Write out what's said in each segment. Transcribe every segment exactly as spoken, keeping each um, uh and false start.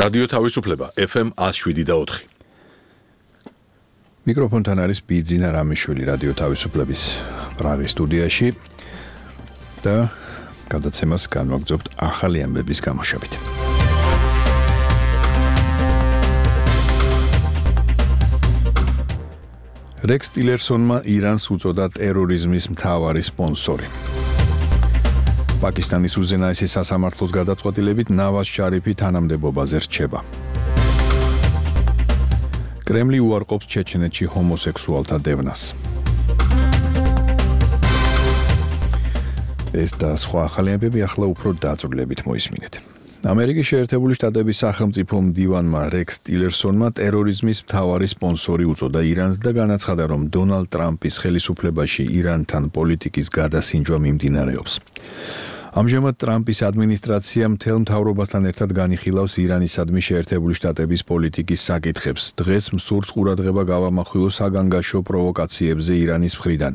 რადიო თავისუფლება F M one oh seven და four. მიკროფონთან არის ბიძინა რამიშვილი რადიო თავისუფლების ბრალი სტუდიაში და გადაცემას განვაგრძობთ ახალი ამბების გამოშვებით. რექს ტილერსონმა ირანს უწოდა ტერორიზმის მთავარი სპონსორი. პაკისტანის უზენაესი სასამართლოს გადაწყვეტილებით ნავაზ შარიფი თანამდებობაზე რჩება. კრემლი უარყოფს ჩეჩნეთში ჰომოსექსუალთა დევნას. ეს და სხვა ახალი ამბები ახლა უფრო დაწვრილებით მოისმინეთ. ამერიკის შეერთებული შტატების სახელმწიფო მდივანმა რექს ტილერსონმა ტერორიზმის მთავარი სპონსორი უწოდა ირანს და განაცხადა, რომ დონალდ ტრამპის ხელისუფლებაში ირანთან პოლიტიკის გადასინჯვა მიმდინარეობს. ამჟამად ტრამპის ადმინისტრაცია მთელ მთავრობასთან ერთად განიხილავს ირანისადმი შეერთებული შტატების პოლიტიკის საკითხებს. დღეს მსურს ყურადღება გავამახვილო საგანგაშო პროვოკაციებზე ირანის მხრიდან,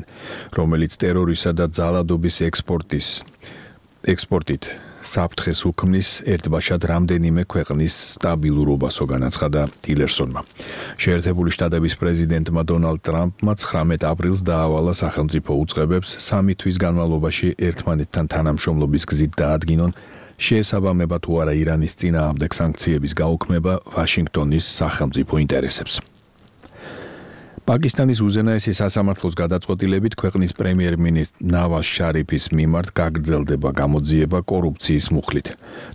რომელიც ტერორისა და ძალადობის ექსპორტის ექსპორტით საფრთხეს უქმნის ერთბაშად რამდენიმე ქვეყნის სტაბილურობასო, განაცხადა ტილერსონმა. შეერთებული შტატების პრეზიდენტმა დონალდ ტრამპმა ცხრამეტ აპრილს დაავალა სახელმწიფო უწყებებს სამი თვის განმავლობაში ერთმანეთთან თანამშრომლობის გზით დაადგინონ შეესაბამება თუ არა ირანის წინააღმდეგ სანქციების გაუქმება ვაშინგტონის სახელმწიფო ინტერესებს. პაკისტანის უზენაესი სასამართლოს გადაწყვეტილებით ქვეყნის პრემიერ-მინისტრ ნავაზ შარიფის მიმართ გაგრძელდება გამოძიება კორუფციის მუხლით,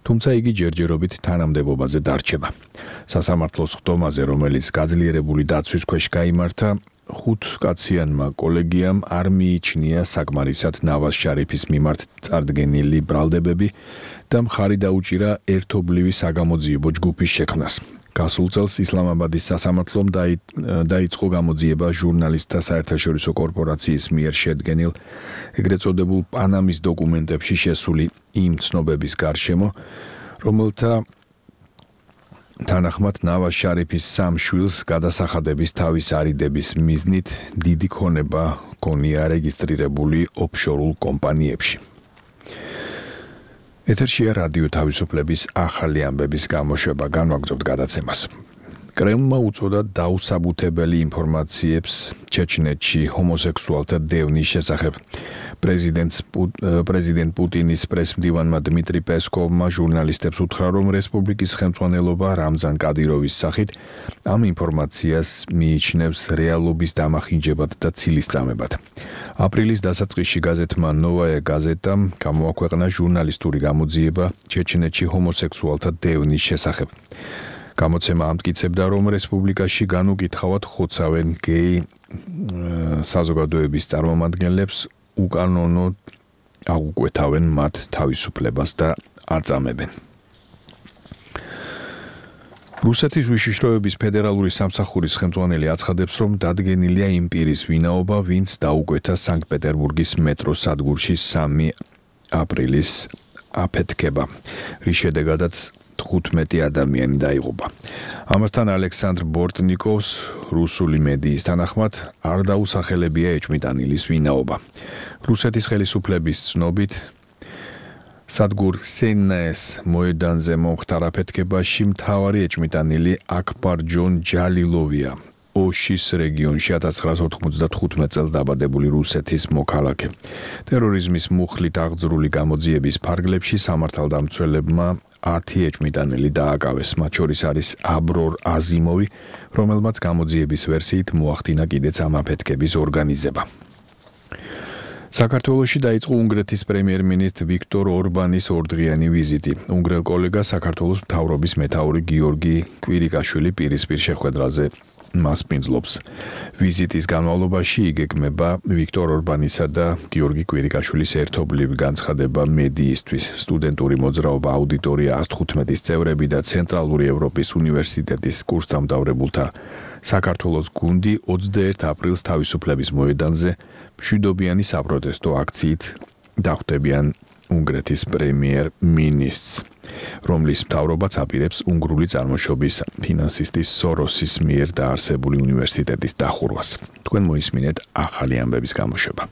თუმცა იგი ჯერჯერობით თანამდებობაზე დარჩება. სასამართლოს ხდომაზე, რომელიც გაძლიერებული დაცვის ქვეშ გაიმართა, ხუთკაციანმა კოლეგიამ არ მიიჩნია საკმარისად ნავაზ შარიფის მიმართ წარდგენილი ბრალდებები და მხარი დაუჭირა ერთობლივი საგამოძიებო ჯგუფის შექმნას. გასულ წელს ისლამაბადის სასამართლომ დაიწყო გამოძიება ჟურნალისტთა საერთაშორისო კორპორაციის მიერ შედგენილ ეგრეთ წოდებულ პანამის დოკუმენტებში შესული იმ ცნობების გარშემო, რომელთა თანახმად ნავაზ შარიფის სამ შვილს გადასახადების თავის არიდების მიზნით დიდი ქონება ჰქონია რეგისტრირებული ოფშორულ კომპანიებში. ეთერშია რადიო თავისუფლების ახალი ამბების გამოშვება, განვაგრძობთ გადაცემას. კრემლმა უწოდა დაუსაბუთებელი ინფორმაციებს ჩეჩნეთში ჰომოსექსუალთა დევნის შესახებ. პრეზიდენტს პრეზიდენტ პუტინის პრესმდივანმა დმიტრი პესკოვმა ჟურნალისტებს უთხრა, რომ რესპუბლიკის ხელმძღვანელობა რამზან კადიროვის სახით ამ ინფორმაციას მიიჩნევს რეალობის დამახინჯებად და ცილისწამებად. აპრილის დასაწყისში გაზეთმა ნოვაია გაზეტამ გამოაქვეყნა ჟურნალისტური გამოძიება ჩეჩნეთში ჰომოსექსუალთა დევნის შესახებ. გამოცემა ამტკიცებდა, რომ რესპუბლიკაში განუკითხავად ხოცავენ გეი საზოგადოების წარმომადგენლებს, უკანონო აღუკვეთავენ მათ თავისუფლებას და აწამებენ. რუსეთის უშიშროების ფედერალური სამსახურის ხელმძღვანელი აცხადებს, რომ დადგენილია იმ პირის ვინაობა, ვინც დაუკვეთა სანქტ-პეტერბურგის მეტროს სადგურში სამი აპრილის აფეთქება, რის შედეგადაც თხუთმეტი ადამიანი დაიღუპა. ამასთან ალექსანდრ ბორტნიკოვს რუსული მედიის თანახმად არ დაუსახელებია ეჭვმიტანილის ვინაობა. რუსეთის ხელისუფლების ცნობით სადგურ სენნაეს მოედანზე მომხდარ აფეთქებაში მთავარი ეჭვმიტანილი აქბარ ჯონ ჯალილოვია, ოშის რეგიონში ათას ცხრაას ოთხმოცდათხუთმეტ წელს დაბადებული რუსეთის მოქალაქე. ტერორიზმის მუხლით აღძრული გამოძიების ფარგლებში სამართალდამცველებმა ათი ეჭვმიტანილი დააკავეს, მათ შორის არის აბრორ აზიმოვი, რომელმაც გამოძიების ვერსიით მოახდინა კიდეც ამ აფეთქების ორგანიზება. საქართველოში დაიწყო უნგრეთის პრემიერ-მინისტრ ვიქტორ ორბანის ორდღიანი ვიზიტი. უნგრელ კოლეგას საქართველოს მთავრობის მეთაური გიორგი კვირიკაშვილი პირისპირ შეხვედრაზე მას პინძლობს. ვიზიტის განმავლობაში იგეგმება ვიქტორ ორბანისა და გიორგი კვირიკაშვილის ერთობლივი განცხადება მედიისთვის. სტუდენტური მოძრაობა აუდიტორია ას თხუთმეტის წევრები და ცენტრალური ევროპის უნივერსიტეტის კურსდამთავრებულთა საქართველოს გუნდი ოცდაერთი აპრილს თავისუფლების მოედანზე მშვიდობიანი საპროტესტო აქციით დახვდებიან უნგრეთის პრემიერ-მინისტრს, რომლის მთავრობაც აპირებს უნგრული წარმოშობის ფინანსისტის სოროსის მიერ დაარსებული უნივერსიტეტის დახურვას. თქვენ მოისმინეთ ახალი ამბების გამოშვება.